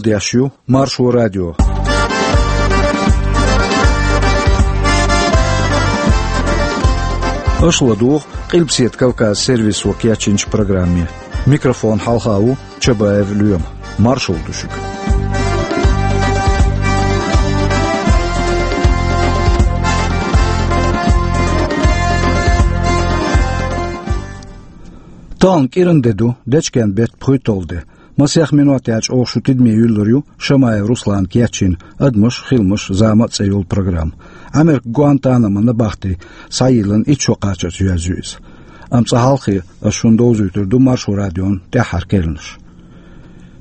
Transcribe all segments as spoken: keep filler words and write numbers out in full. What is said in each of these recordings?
Деш ю Маршо радио. Аша ладугӀу Къилбаседа Кавказ сервисо кечйинчу программе. Микрофон хьалха ву Чабаев Лоьма. Маршалла ду шуьга. Тахана кӀиран де ду, дечкен беттан пхуьйтталгӀа де. Масех минот яьлча оха шу тидаме юьллур ю Шамаев Руслана кечйина «Адамаш, хиламаш, зама» цӀе йолу программа. Ӏамеркан Гуантанамо набахти схьайиллина итт шо кхачарца йоьзна ю иза. Амма цкъа хьалхе аса шуна довзуьйтур ду Маршо радион тӀаьххьара керланаш.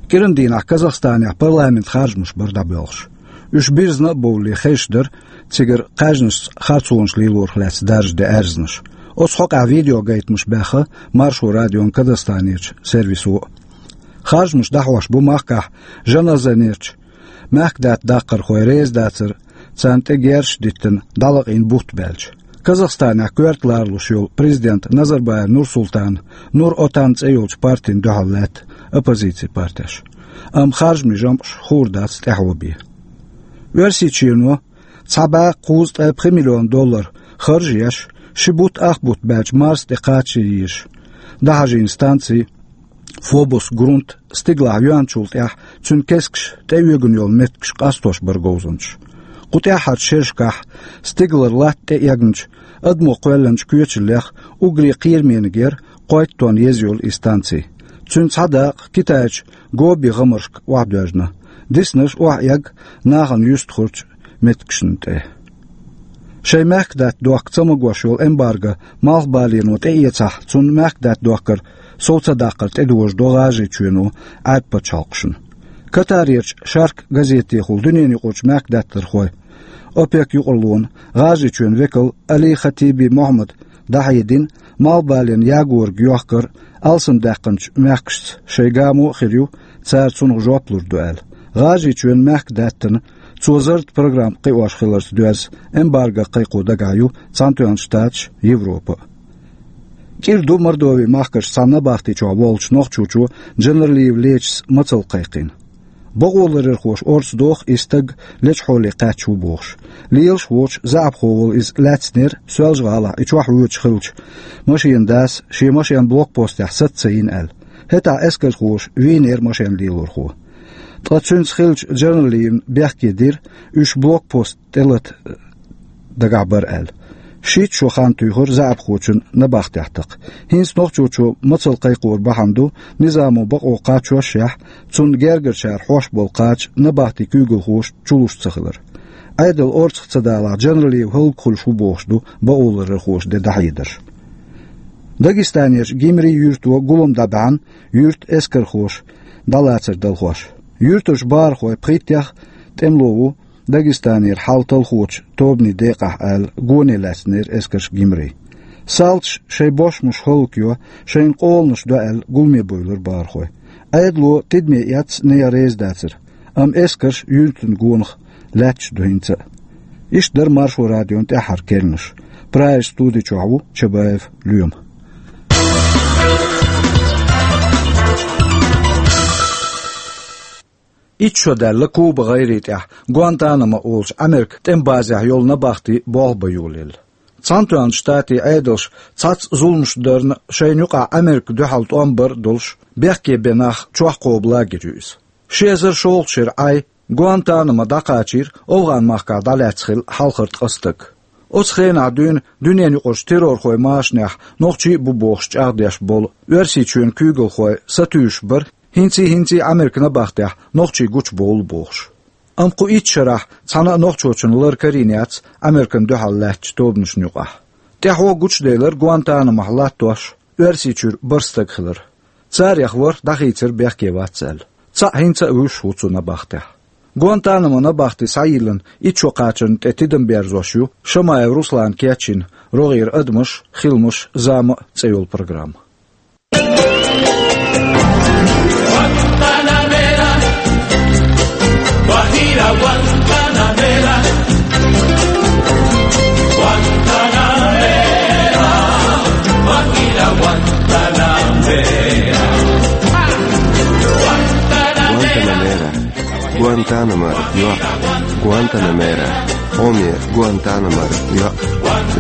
КӀиран дийнахь Казахстанехь парламентан харжамаш бара дӀабоьлхуш. Уьш бирзина а бовлий хезаш дара цигара кхаьжнашца харцонаш лелорах лаьцна даржа де аьрзнаш. Оцу хьокъехь видеогайтамаш баьхна Маршо радион Казахстанерчу сервисо а. Харжамаш дӀахьош бу махкахь Жаназанерчу мехкадатта даккхархой реза дацара, царна тӀе герзаш а диттина, дӀалакъийна бутт баьлча. Казахстанехь коьрта ларалуш йолу президент Назарбаев Нурсултан Нур-Отан цӀе йолчу партина дуьхьал лаьтта оппозицин партеш. Амма харжамийн жамӀаш хуур дац тӀаьхьо бен. Оьрсийчоьно цхьа бӀе кхузткъе пхи миллион доллар харж а еш, ши бутт ах бутт баьлча Марса тӀе кхача езаш дӀахьажийна станци Фобос-Грунт стигалахь йоьхначул тӀаьхьа цуьнан кескаш тӀеоьгун йолу меттигаш къастош бара говзанчаш. Кху тӀаьххьарчу шерашкахь стигалара латта тӀеэгначу адамо кхоьллинчу коьчаллех уггаре кхерамниг яра кхойтта тонн еза йолу и станци. Цуьнан цхьа дакъа Китайчу Гоби гӀамаршка охьадоьжна. Диснарш охьаэгна нахана юьстахарчу меттигашна тӀе. Шайн мехкадатта дохка ца магош йолу эмбарго малхбалено тӀеэцахь, цунна мехкадатта дохкар сов ца даккхар тӀедожадо ГӀажарийчоьно Ӏаьрбийн пачхьалкхашна. Катарерчу «Шарк» газетехула дуьненаюкъарчу мехкадаттархойн ОПЕК юкъараллин ГӀажарийчоьнан векал Али Хатиби Мохьмада дӀахьедина, малхбален ягорг йохкар алсамдаьккхинчу мехкашца шайн гамо а хир ю, цара цунах жоп лур ду аьлла. ГӀажарийчоьнан мехкадаттана цо зарратан программа кхиош хиларца доьзна эмбарго кхайкхо дагахь ю Цхьаьнатоьхначу Штаташ а, Европа а. КӀира ду Мордовин махкарчу цхьана набахти чохь волчу нохчочо Джанарлиев Лечис мацалла кхайкхийна. Бакъоларъярхоша орца доху и стаг лечу хьоле кхаьчна ву бохуш. Лелаш воцуш заьӀапхо волу иза лаьцнера Соьлжа-ГӀалахь и чохь воьдуш хиллачу машенан дас шен машен блокпостехь саца ца йина аьлла. ХӀетахь эскархоша вийнера машен лелорхо. Ткъа цуьнца хиллачу Джанарлиевна бехке дира, уьш блокпост тӀелата дагахь бара аьлла. Шийтта шо хан туьйхира заьӀапхочун набахтехь такха. ХӀинца нохчочо мацалла кхайкхоран бахьана ду, низамо бакъо кхачошшехь, цунна гергарчара хьош болу кхача набахти куьйгалхоша чулуш ца хилар. Ӏедал орцах ца далахь, Джанарлиев хӀаллакьхуьлуш ву бохуш ду бакъоларъярхоша ден дӀахьедарш. Дагестанерчу Гимри юьрто гулам дӀабаьхьна, юьртан эскархоша дӀалацар далхош. Юьртарчу бахархойн пхийттех тӀемало ву Дагестанера хьал талхочу тобанийн декъахь аьлла, гоне лаьцнера эскарш Гимри. Салташа шайн бошмаш хӀаллакйо, шайна къоланаш до аьлла, гуламе буьйлура бахархой. Ӏедало тидаме эцна, нехан реза дацара, амма эскарш юьртан гонах лаьтташ ду хӀинца а. Иштта дара Маршо радион тӀаьххьара керланаш. Прагерчу студи чохь ву Чабаев Лоьма. Итт шо даьлла Куба гӀайре тӀехь Гуантанамо олучу Ӏамеркан тӀеман базехь йолу набахти болх бан йолаелла. Цхьаьнатоьхначу Штатийн Ӏедалша цхьацца зуламаш дарна, шайна юкъахь Ӏамеркан дуьхьал тӀом бар а долуш, бехке бен нах чохь кхобу лагерь ю иза. Ши эзар шолгӀачу шеран Ӏай Гуантанамо дӀакхачийра, ОвгӀан-махкахь дӀалаьцна хилла хьалхара ткъа стаг. Оцу хенахь дуьйна дуьненаюкъарчу террорхойн машанехь нохчий а бу бохуш чӀагӀдеш болу Оьрсийчоьнан куьйгалхой сатуьйсуш бара, хӀинций-хӀинций Ӏамеркан набахтехь нохчий гучубовлу бохуш. Амма кху итт шарахь цхьана а нохчочунна лар карийна яц Ӏамеркан дуьхьал лаьттачу тобанашна юкъахь. ТӀаьхьо гучуделира Гуантанамохь латтош Оьрсийчуьра бархӀ стаг хилар. Царех ворхӀ дӀахийцира бехке вац аьлла. Цхьаъ хӀинца а вуьсуш ву цу набахтехь. Гуантанамо набахти схьайиллина итт шо кхачарна тӀе тидам берзош ю Шамаев Руслана кечйина рогӀера «Адамаш, хиламаш, зама» цӀе йолу программа. Гуантанамера. Гуантанамо йоӀ, Гуантанамера, хьоме Гуантанамора йоӀ,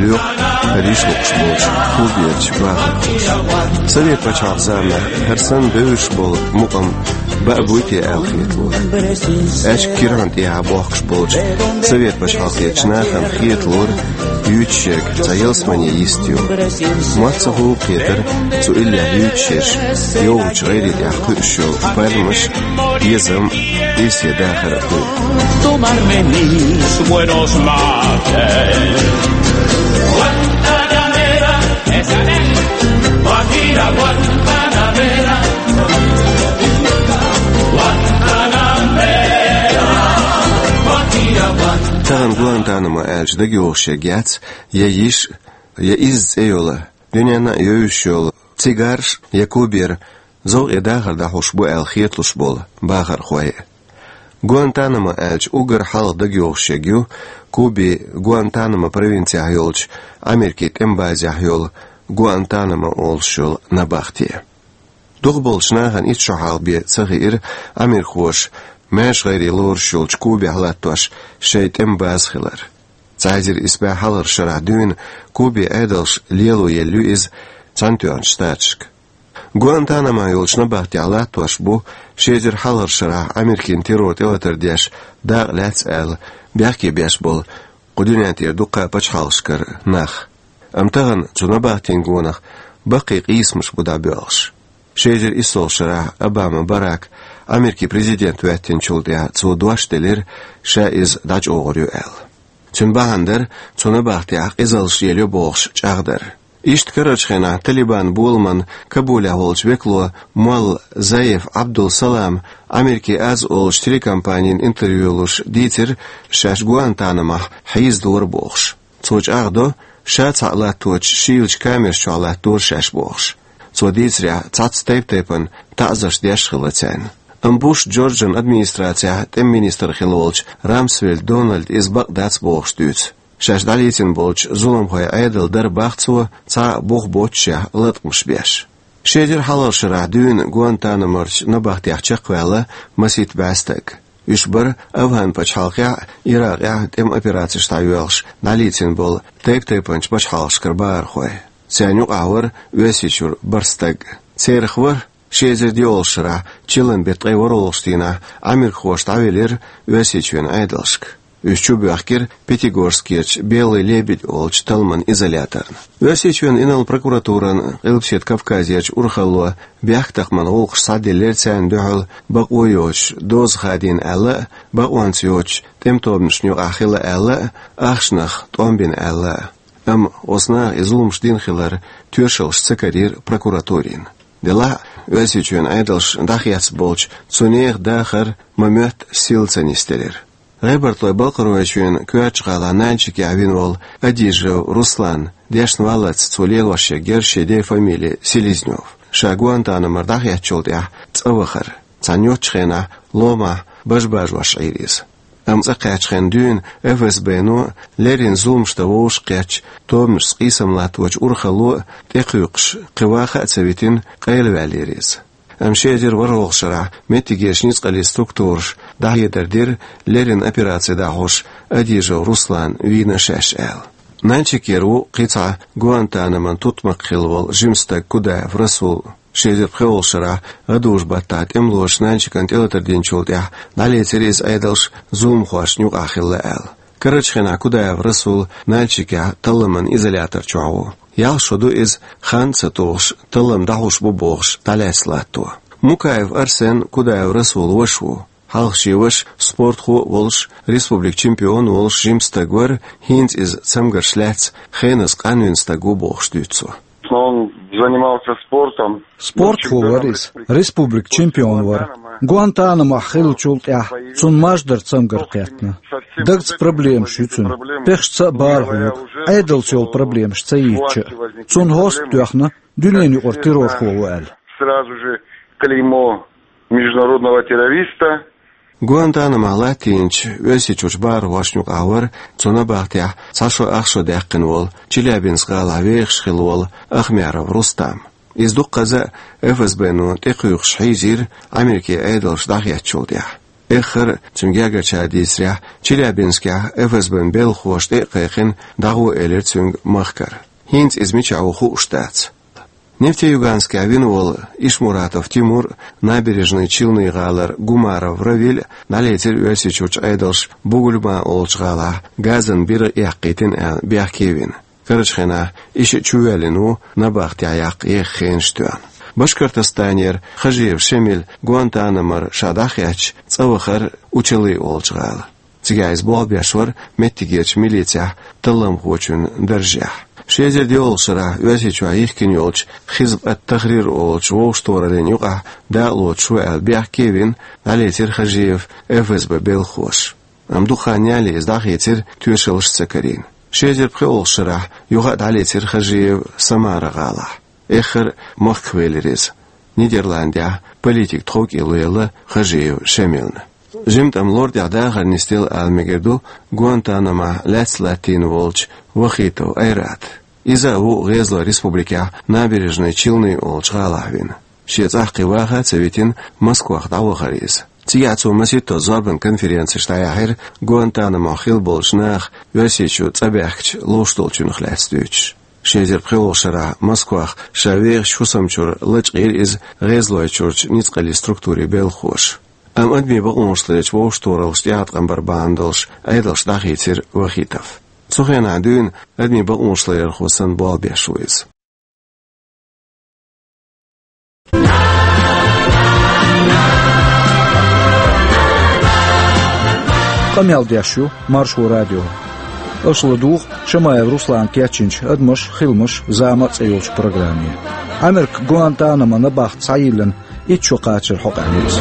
лоьху хӀара йиша лукхуш болчу Куберчу бахархоша. Совет пачхьалкх заманахь хӀара санна бевзаш болу мукъам баа буй те аьлла хеталора. Аьчка кирхьанна тӀехьа бохкуш болчу Совет пачхьалкхерчу нахана хеталора, юьйцуш ерг цхьа ялсамане йист ю. Мотт ца хуьлу кхетара, цу иллехь юьйцуш ерш йовхачу гӀайре тӀехь кхуьуш йолу пальмаш, безам, эсе дахар а хуьлу. Tomarme mis buenos mates. Guantanamera, esa es, Guajira Guantanamera. Guantanamera, Guajira Guantanamera. Тахана Гуантанамо аьлча дагайогӀуш ерг яц я йиша, я изза цӀе йолу, дуьненна а евзаш йолу цигарш, я Кубера зовкъе дахар дӀахьуш бу аьлла хеталуш болу бахархой. Гуантанамо аьлча уггар хьалха дагайогӀуш ерг ю Кубин Гуантанамо провинцехь йолчу Америкин тӀеман базехь йолу Гуантанамо олуш йолу набахте. Дукхахболчу нахана итт шо хьалха бен ца хиира америкахоша маьрша гӀайре лоруш йолчу Кубехь латтош шайн тӀеман база хилар. Цхьа эзар исс бӀе хьалхарчу шарахь дуьйна Кубин Ӏедалша лело елла ю иза Цхьаьнатоьхначу Штаташка. Гуантанамо йолчу набахтехь латтош бу ши эзар хьалхарчу шарахь Америкин террор тӀелатар деш дакъа лаьцна аьлла бехке беш болу кху дуьнен тӀера дуккха а пачхьалкхашкара нах. Амма тахана цу набахтин гонах баккхий къийсамаш бу дӀабоьлхуш. Ши эзар иссолгӀачу шарахь Обама Барак Америкин президент хӀоьттинчул тӀаьхьа цо дош делира, ша иза дӀачӀогӀур ю аьлла. Цуьнан бахьана дара цу набахтехь къизаллаш лелайо бохуш чӀагӀдар. Иштта карарчу хенахь Талибан боламан Кабулехь волчу векало молла Заиф Абдул-Салам Америкин Аз олучу телекомпанина интервью луш дийцира, шаьш Гуантанамохь хьийзадора бохуш. Цо чӀагӀдо, ша цхьаъ латточу шийлачу камераш чохь латтадора шаьш бохуш. Цо дийцарехь, цхьацца тайп-тайпана таӀзарш деш хилла царна. Амма Буш Джорджан администрацехь тӀеман министр хилла волчу Рамсфельд Дональда иза бакъ дац бохуш дуьйцу. Шаьш дӀалецна болчу зуламхойн Ӏедал дара бах цо, цхьа а бух боццушехь латкъамаш беш. Ши эзар хьалхарчу шарахь дуьйна Гуантанаморчу набахтехь чекхваьлла масийтта бӀе стаг. Уьш бара АфгӀан пачхьалкхехь а, Иракъехь а тӀеман операцеш дӀайоьлхуш дӀалецна болу тайп-тайпанчу пачхьалкхашкара бахархой. Царна юкъахь вара Оьрсийчуьра бархӀ стаг. Царах вара ши эзар диъолгӀачу шарахь, чиллан беттан ткъе ворхӀалгӀачу дийнахь, америкахоша дӀавелира Оьрсийчоьнан Ӏедалшка. Уьш чубоьхкира Пятигорскерчу Белый лебедь олучу талламан изоляторна. Оьрсийчоьнан инарла прокуратуран Къилбаседа Кавказерчу урхалло бехктакхаман гӀуллакхаш схьаделлера царна дуьхьал бакъо йоцуш доза хадийна аьлла а, бакъонца йоцучу тӀеман тобанашна юкъахь хилла аьлла а, ахчанах тӀом бина аьлла а. Амма оцу наха и зуламаш дина хилар тоьшаллаш ца карийра прокуратурина. Делахь а, Оьрсийчоьнан Ӏедалша дӀахецна болчу цу нехан дахар ма-моьтту сийлахь ца нисделира. ГӀебартлойн Балкхаройчоьнан коьртачу гӀалахь Нальчикехь вина волу Адижев Руслан дешна валлалц цо лелош ерг яра шен ден фамили Селезнёв. Ша Гуантанамора дӀахецначул тӀаьхьа цӀа вахара. Цхьана йоцчу хенахь ломахь бажа-бажош Ӏийра иза. Амма цӀа кхаьччу хенахь дуьйна ФСБ-но, леррина зуламаш дан вовшахкхеттачу тобанашца къийсам латточу урхалло а, тӀекхуьйкхуш кхин ваха а ца витина, къайлаваьллера иза. Амма ши эзар ворхӀалгӀачу шарахь меттигерчу ницкъаллин структураша дӀахьедар дира, леррина операци дӀахьош Адижев Руслан вийна шаьш аьлла. Нальчикера ву кхин цхьа Гуантанамон тутмакх хилла волу жима стаг Кудаев Расул. Ши эзар пхоьалгӀачу шарахь гӀадужу-баттахь тӀемалоша Нальчикана тӀелатар динчул тӀаьхьа дӀалецира иза Ӏедалша зуламхошна юкъахь хилла аьлла. Карарчу хенахь Кудаев Расул Нальчикехь талламан изолятор чохь ву. Ялх шо ду иза, хан а ца тухуш, таллам дӀахьуш бу бохуш, дӀалаьцна латто. Мукаев Арсен Кудаев Расулан ваша ву. Хьалха шен ваша спортхо а волуш, республикан чемпион а волуш жима стаг вара, хӀинца иза цамгарш лаьцна, хеназа къанвина стаг ву бохуш дуьйцу цо. Но он занимался спортом. Спортхо вара иза, республикан чемпион вара. Гуантанамохь хиллачул тӀаьхьа цунна маж дара цамгар кхетта. Дагца проблемаш ю цуьнан. Пехаш ца а бахархьама, Ӏедалца йолу проблемаш ца йийцча а. Цунна хьоста тоьхна, дуьненан юкъара террорхо ву аьлла. Сразу же клеймо международного террориста. Гуантанамохь латтийначу Оьрсийчуьрчу бахархошна юкъахь вара цу набахтехь цхьа шо ах шо даьккхина волу, Челябинск гӀалахь вехаш хилла волу Ахмяров Рустам. Иза дуккхаза а ФСБ-но тӀекхуьйкхуш хьийзийра Америкин Ӏедалша дӀахецначул тӀаьхьа. Эххар а, цуьнан гергарчара дийцарехь, Челябинскехь ФСБ-н белхахоша тӀе а кхайкхина, дӀагӀо элира цуьнга махкара. ХӀинца иза мичахь ву хууш дац. Нефтеюганскехь вина волу Ишмуратов Тимур а, Набережные Челны гӀалара Гумаров Равиль а дӀалецира Оьрсийчуьрчу Ӏедалша Бугульма олучу гӀалахь газан биргӀа эккхийтина аьлла, бехке а вина. Карарчу хенахь и шиъ чувоьллина ву набахтехь яккха еха хенаш тоьхна. Башкортостанера Хажиев Шемиль Гуантанамора ша дӀахецча, цӀа вахара Учалы олучу гӀала. Цигахь иза болх беш вара меттигерчу милицехь талламхочун даржехь. Ши эзар доьалгӀачу шарахь Оьрсийчохь йихкина йолчу Хизб ат-Тахрир олучу вовшахтохараллин юкъахь дакъалоцуш ву аьлла, бехке а вина, дӀалецира Хажиев ФСБ белхахоша. Амма дукха хан ялале иза дӀахийцира, тоьшаллаш а ца карийна. Ши эзар пхоьалгӀачу шарахь юха а дӀалецира Хажиев Самара гӀалахь. Эххар а махках велира иза. Нидерландехь политик тховкӀело елла Хажиев Шемилна. Жимма тӀама лор тӀехь дахар нисделла ала мегар ду Гуантанамохь лаьцна латтийна волчу Вахитов Айрата. Иза а ву ГӀезалойн Республикехь Набережные Челны олучу гӀалахь вина. Шен цӀахь кхин ваха а ца витина, Москвах дӀавахара иза. Цигахь цо масийтта зорбан конференцеш дӀаяьхьира Гуантанамохь хилла болчу наха Оьрсийчу цӀа баьхкича ловш долчуьнах лаьцна дуьйцуш. Ши эзар пхоьалгӀачу шарахь Москвах ша вехачу хӀусамчуьра лачкъийра иза ГӀезалойчуьрчу ницкъаллин структурийн белхахоша. Амма адамийн бакъонаш ларъечу вовшахтохараллаш тӀеӀаткъам бар бахьана долуш Ӏедалша дӀахийцира Вахитов. Цу хенахь дуьйна адамийн бакъонаш ларъярхо санна болх беш ву иза. Къамел деш ю Маршо радио. Аша ладугӀу Шамаев Руслана кечйинчу «Адамаш, хиламаш, зама» цӀе йолчу программе. Америка Гуантанамо набахти схьайиллина итт шо кхачаран хьокъехь ю иза.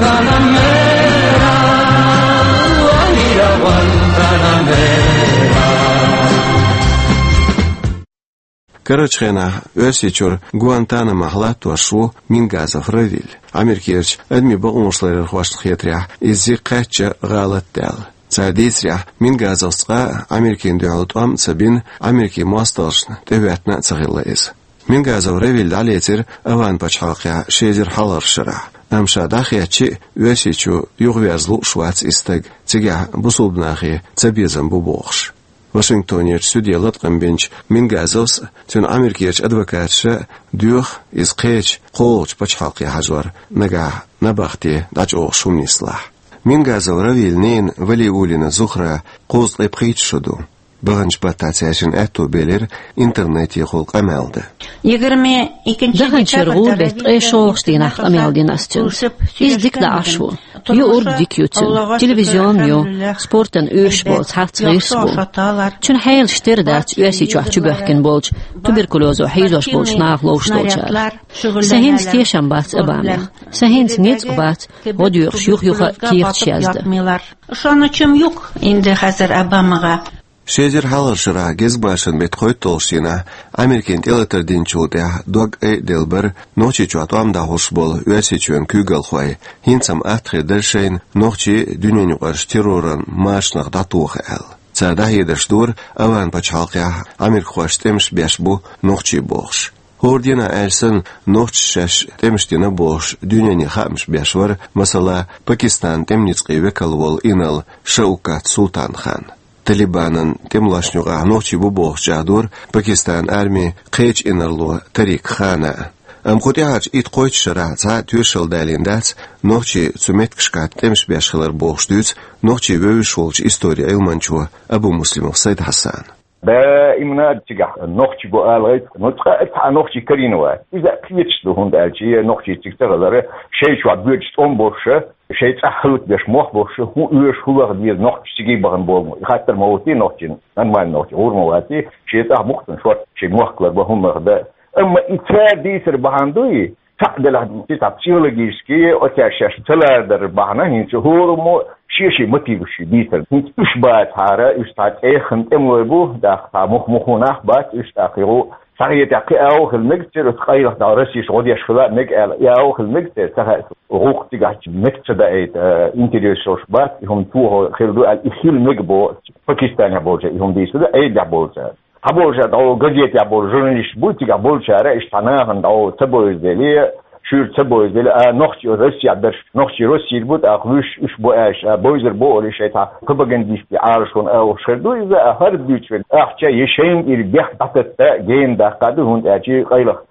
Карарчу хенахь Оьрсийчуьра Гуантанамохь латтош ву Мингазов Равиль. Америкерчу адамийн бакъонаш ларъярхошна хетарехь, иза зика кхаьчна гӀалат а даьлла. Цара дийцарехь, Мингазовс цкъа а Америкина дуьхьал тӀом а ца бина, Америкин мостагӀчунна тӀехӀоьттина а ца хилла иза. Мингазов Равиль дӀалецира АвгӀан пачхьалкхехь ши эзар хьалхарчу шарахь, амма ша дӀахецча а Оьрсийчу юхаверза лууш вац и стаг, цигахь бусалба нахе цабезам бу бохуш. Вашингтонерчу суьде латкъам бинчу Мингазовс а, цуьнан Америкерчу адвокаташа а доьху иза кхечу кхоалгӀачу пачхьалкхе хьажор, нагахь набахти дӀачӀогӀуш хӀума нислахь. Мингазов Равилан ненан Валиуллина Зухран кхузткъе пхийтта шо ду. Баханчу баттахь цаьршинна аьтто белира интернетехула къамел дан. Даханчу шеран гӀуран беттан ткъе шолгӀачу дийнахь къамел дина ас цуьнца. Иза дика даӀаш ву. ЮургӀа дика ю цуьнан. Телевизион ю, спортана оьшуш болу цхьацца гӀирс бу. Цуьнан хьелаш тера дац Оьрсийчохь чубоьхкина болчу, туберкулёзо хьийзош болчу наха ловш долчара. Сан хӀинца тешам бац Обамех. Сан хӀинца ницкъ бац гӀо доьхуш юха-юха а кехаташ яздан. Шуна чум юк инде хазар Обамага. Ши эзар хьалхарчу шарахь гезгмашин беттан кхойтталгӀачу дийнахь Америкина тӀелатар динчул тӀаьхьа дог айаделла бара Нохчийчохь тӀом дӀахьош болу Оьрсийчоьнан куьйгалхой, хӀинца-м атта хир дара шайна нохчий дуьненаюкъарчу терроран машанах дӀатоха аьлла. Цара дӀахьедарш дора, АвгӀан пачхьалкхехь америкахошца тӀемаш беш бу нохчий бохуш. ХӀора дийнахь аьлча санна, нохчаша шаьш тӀемаш дина бохуш дуьнене хаамаш беш вара, масала, Пакистанан тӀеман ницкъийн векал волу инарла Шаукат Султан-хан. Талибанан тӀемалошна юкъахь нохчий бу бохуш чӀагӀдора Пакистанан армин кхечу инарло Тарик Хана а. Амма кху тӀаьхьарчу итт-кхойтта шарахь цхьа а тоьшалла далийна дац нохчий цу меттигашкахь тӀемаш беш хилар бохуш дуьйцу нохчий вевзаш волчу историн Ӏилманчо Абумуслимов Сайд-Хьасана. Даимна цигахь нохчий бу ала гӀайта, ну, цкъа а цхьа нохчий карийна вац. Иза кхеташ ду, хӀунда аьлча и нохчий цига ца хилар, шайн чохь боьдуш тӀом болуш а, шайн цӀахь хӀаллакбеш мох болуш а, хӀун оьшу, хӀун лаха деза нохчаша цига бахана бохург ма ю. И хаттар ма хӀуттий нохчийн, нормально нохчийн гӀур ма ваций, шен цӀахь мукъ цунна шорта шен мохк ларбан, хӀун лаха дан. Амма и цара дийцар бахьана ду и, цхьаъ делахь, цхьа психологически оцаьрца шаьш ца лардар бахьана, хӀинца хӀораммо шен-шен мотиваш дийцар. ХӀинца уьш бацахьара, уьш цхьа цӀеяххана тӀемалой бу, тӀаккха цхьа мух-муху нах бац, уьш тӀаккха юха схьахетахь кхин агӀо хила мега церан, оцу къайлаха дӀа Россеш гӀо деш хила а мега аьлла, и агӀо хила мега церан, ца хаьа, гӀуллакх цигахь меттиг ца даийта, э, интерес йолуш бац, и хӀума чохь хила ду аьлла, и хила мега боху, Пакистанехь болчара и хӀума дийцар, Ӏедалехь болчара. Цхьаболчара дӀо газетехь болу журналисташ бу, цигахь болчара, иштта цхьа нахана дӀо ца бовза деле, шуьйра ца бовза дела, а нохчий Россехь берш, нохчий Россера бу, тӀаккха вуьш уьш бу аьлча, а бовзар бу олий шайтӀа, пропагандистийн Ӏалашонан агӀор хир ду иза, а хӀара дуьйцуш верг ахча я шайна тӀера бехк дӀататта гена даккха ду, хӀунда аьлча къайлаха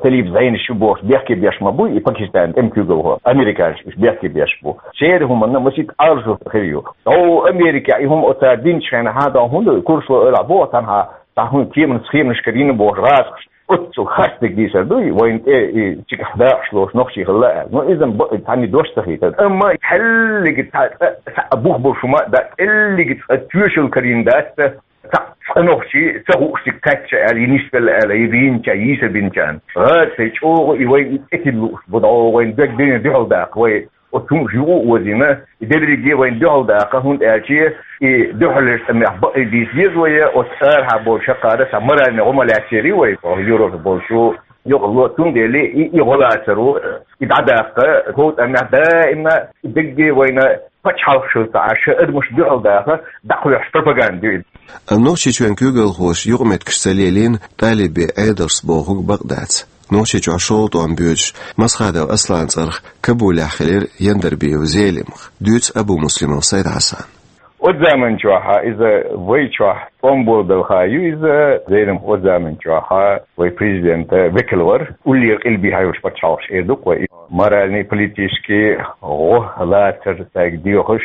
Талиб Зайнаш ю бохуш бехке беш ма бу и Пакистанан тӀеман куьйгалхо, американцаш уьш бехке беш бу. Церан хӀуманна масийтта Ӏалашо хир ю. ДӀо Америкехь и хӀума оцара динчу хенахь, дӀо хӀунда курсло ойла боху, цхьанхьа цхьа хӀун кеманаш, схеманаш карийна бохуш гӀазкхаш. Оццул харцдерг дийцар ду, вайна тӀе и цигахь дакъаш лоцу нохчий хилла аьлла. Ну, иза-м бакъ цхьанна дош ца хийтар. Амма хьаллига цхьа, цхьа, цхьа бух болуш хӀума а дац, кӀеллига цкъа тоьшалла карийна дац, цхьа, цкъа нохчий ца хуушдерг кхаьчча аьлла, и нисвелла аьлла, и вийнача, йийсабинчарна. ГӀазкхий чӀогӀа и вайна и тӀетилла лууш бу, дӀо вайна дерг дуьйна дуьхьал даккха, вай оцу хӀуманаш юкъа а озийна, и дерриге вайна дуьхьал даккха, хӀунда аьлча и дуьхьалерчу тӀамехь бакъ дийца деза вай, оцу арахьа болчу хьакхара цхьа моральный гӀо ма лаьцнера вай, Европе болчу юкъа ло. Цундела и, и гӀо лацаро, и дӀадаккха, хӀокху тӀамехь даимна и дерриге вайна пачхьалкхашна ца Ӏаш, адамаш дуьхьал даха, дӀакхоьхьуш пропаганда ю иза. Амма Нохчийчоьнан куьйгалхоша юкъаметтигаш ца лелийна, талибийн Ӏедалшца бохург бакъ дац. Нохчийчохь шолгӀа тӀом боьдуш, Масхадов Асланан цӀарах Кабулехь хилира Яндарбиев Зелимха, дуьйцу Абумуслимов Сайд-Хьасана. Оцу заманчохь иза вай чохь тӀом болабелла хан ю иза, Зелимха оцу заманчохь вай президентан векал вара, уллера къилбехьа йолчу пачхьалкхаша эр ду-кх вай. Моральный, политический гӀо лацар цаьрга доьхуш,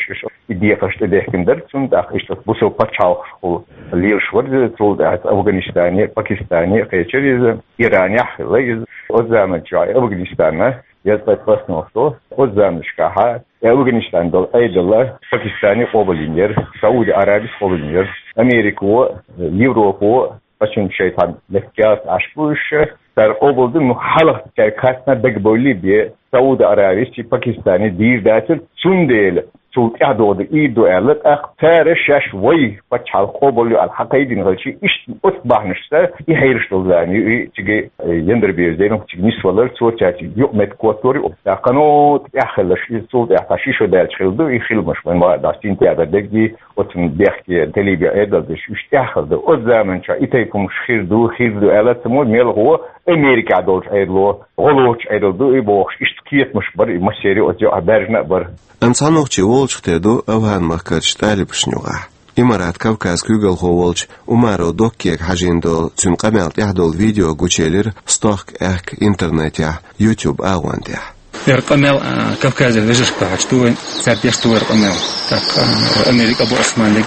и декхарш тӀедехкина дара цунна, тӀаккха иштта бусалба пачхьалкхашкахула лелаш вара иза, цул тӀаьхьа Афганистане, Пакистане кхечира иза, Иранехь хилла иза. Оцу заманчохь Афганистанна, я цкъа пасналхо, оцу заманашкахь и Афганистан долу Ӏедал Пакистане къобалйина яра, Сауди Арабис къобалйина яра, Америко, Европо, Ткъа цуьнан шайн цхьа меттигехь Ӏаш бу уьш, цара къобалдина, ну, хьалха цаьрга хаттина дагабовлий бен, Сауд-Аравис, Пакистане дийр дацара, цундела цул тӀаьхьа догӀу ду, ийр ду аьлла, тӀаккха цара шаьш вай пачхьалкх къобалйо аьлла хьакхайдина хилча, иштта оцу бахьанашца и хьераш долу зама ю, и цига, э, Яндарбиев Зелимха цига нисвалар, цо цаьрца юкъаметтиг коттор ю, тӀаккха, ну, тӀаьхьа хиларш, иза цул тӀаьхьа цхьа ши шо даьлча хилла ду, и хиламаш вайн ма а дац, сентябрь дерриге, оцунна бехке талибийн Ӏедал деш, уьш тӀаьхьа хилла ду. Оцу заманчохь и тайпа хӀумаш хир ду, хир ду аьлла ца мо, мелхо Америкехь долчу Ӏедало, гӀо лоцучу Ӏедал ду и бохуш, иштта кхетамаш бара, и массеран оцу юкъахь баьржина а бара. Амма цхьа нохчи волчух тера ду Афган-махкарчу талибашна юкъахь. Имарат Кавказ куьйгалхо волчу Умаров Доккега хьажийна долу цуьнан къамел тӀехь долу видео гучуелира стохка аьхка интернетехь, YouTube агӀон тӀехь. Яра къамел, а, Кавказера вежаршка дуьхьал ду вай, цара деш ду вай къамел. ТӀаккха, а, Америка бу Османлиг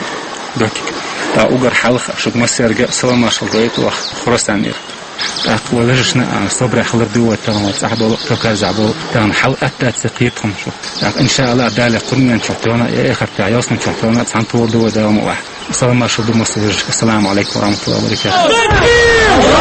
докик. ТӀаккха уггар хьалха шуьга массаьрга салам-маршалла дойту ваха Хурасанера. ТӀаккха вай вежаршна, а, собаре хилар ду вай тахана цӀахь болу, Кавказехь болу, тахана хьал атта ца кхетахуна шу. ТӀаккха, иншааллахӀ, Дала кхунненчохь тахана, я эхартехь, ялсманчохь тахана, цхьаьна тола ду вай Дала ма вахь. Салам-маршалла ду массо вежаршка. Ассаламу алейкум ва рахматуллахи ва баракатух.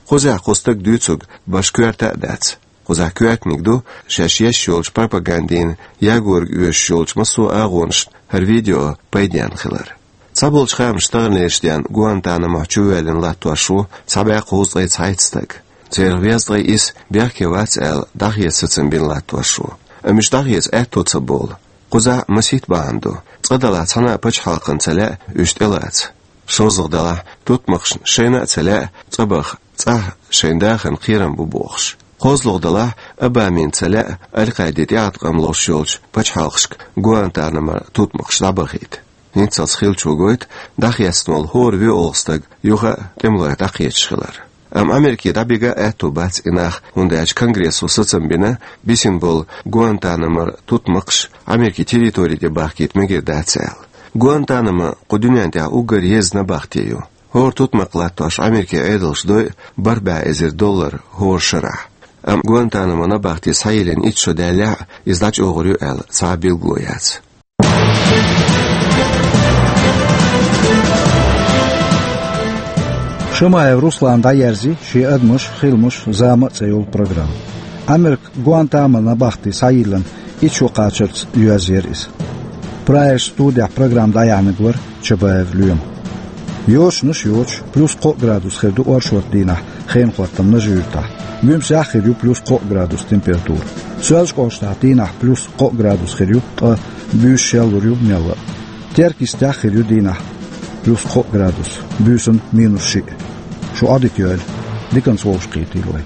Кхузахь кху стага дуьйцург баш коьрта а дац. Кхузахь коьртаниг ду шаьш еш йолчу пропагандина ягорга оьшуш йолчу массо а агӀонашна хӀара видео пайденна хилар. Цхьаболчу хаамашца, таханлерчу денна Гуантанамохь чувоьллина латтош ву цхьа бӀе кхузткъе цхьайтта стаг. Церан везткъе исс бехке вац аьлла, дӀахеца сацам бина латтош ву. Амма уьш дӀахеца аьтто ца болу. Кхузахь масийтта бахьана ду. Цкъа-делахь цхьана а пачхьалкхана ца лаьа уьш тӀелаца. ШозлагӀа-делахь, тутмакхашна шайна а ца лаьа цӀа баха, цӀахь шайн дахарна кхерам бу бохуш. КхозлагӀа-делахь, Обамина ца лаьа Аль-Къаиде тӀеӀаткъам луш йолчу пачхьалкхашка Гуантанамора тутмакхаш дӀабахийта. ХӀинццалц хиллачо гойту дӀахецна волу хӀора вуьйалгӀа стаг юха а тӀемалойх дӀакхеташ хилар. Амма Америке дӀабига а аьтто бац и нах, хӀунда аьлча Конгрессо сацам бина, бисина болу Гуантанамора тутмакхаш Америкин территори тӀе бахкийта мегар дац аьлла. Гуантанамо кху дуьнен тӀехь уггар еза набахте ю. ХӀора тутмакх латтош Америкин Ӏедалша дойу бархӀ бӀе эзар доллар хӀора шарахь. Амма Гуантанамо набахте схьайиллина итт шо даьллехь а, иза дӀачӀогӀур ю аьлла цхьа а билгало яц. Шамаев Руслана дӀаерзи «Шен адамаш, хиламаш, зама а» цӀе йолу программа. Америка Гуантанамо набахте схьайиллина итт шо кхачарца йоьзна яра иза. Прайерс студехь программа дӀаяьхьнарг вара Чабаев Лоьма. Йочанаш йоцуш, плюс кхоъ градус хир ду оршотан дийнахь хенан хӀоттам Нажи-Юьртахь. Буьмсехь а хир ю плюс кхоъ градус температура. Соьлжа-КӀоштахь дийнахь плюс кхоъ градус хир ю, ткъа буьйса шеллур ю мелла а. Теркйистехь а хир ю дийнахь плюс кхоъ градус, буьйсанна минус шиъ. Шу Ӏодика йойла, диканца вовшахкхетий вай.